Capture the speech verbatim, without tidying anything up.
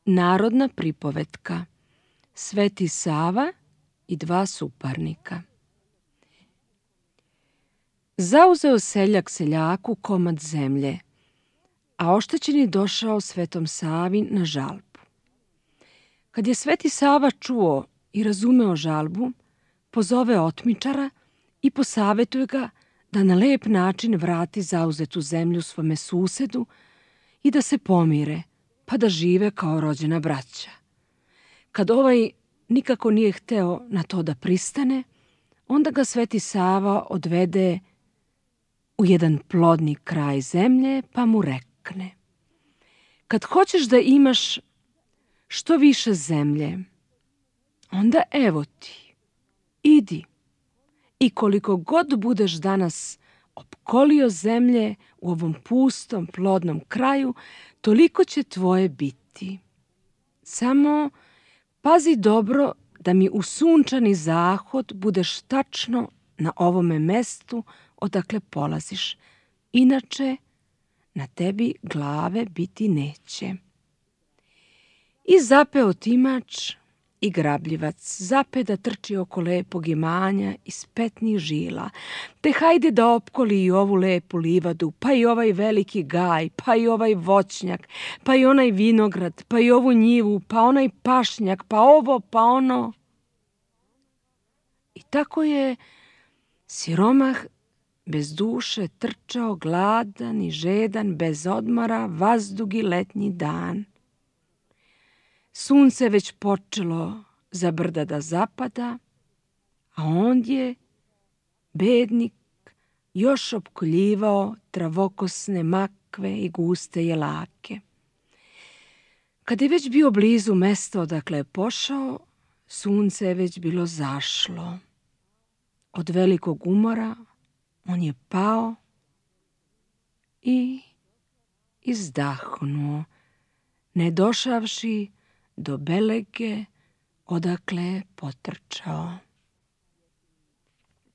Narodna pripovetka Sveti Sava i dva suparnika. Zauzeo seljak seljaku komad zemlje, a oštećeni došao Svetom Savi na žalbu. Kad je Sveti Sava čuo i razumeo žalbu, pozove otmičara i posavetuje ga da na lep način vrati zauzetu zemlju svome susedu i da se pomire, pa da žive kao rođena braća. Kad ovaj nikako nije hteo na to da pristane, onda ga Sveti Sava odvede u jedan plodni kraj zemlje, pa mu rekne: kad hoćeš da imaš što više zemlje, onda evo ti, idi i koliko god budeš danas opkolio zemlje u ovom pustom, plodnom kraju, toliko će tvoje biti. Samo pazi dobro da mi u sunčani zahod budeš tačno na ovome mestu odakle polaziš, inače na tebi glave biti neće. I zape otimač i grabljivac, zape da trči oko lepog imanja iz petnih žila, te hajde da opkoli i ovu lepu livadu, pa i ovaj veliki gaj, pa i ovaj voćnjak, pa i onaj vinograd, pa i ovu njivu, pa onaj pašnjak, pa ovo, pa ono. I tako je siromah bez duše trčao, gladan i žedan, bez odmora, vazdugi letnji dan. Sunce već počelo za brda da zapada, a ondje bednik još opkoljivao travokosne makve i guste jelake. Kad je već bio blizu mesta odakle je pošao, sunce je već bilo zašlo. Od velikog umora on je pao i izdahnuo, ne došavši do belege odakle je potrčao.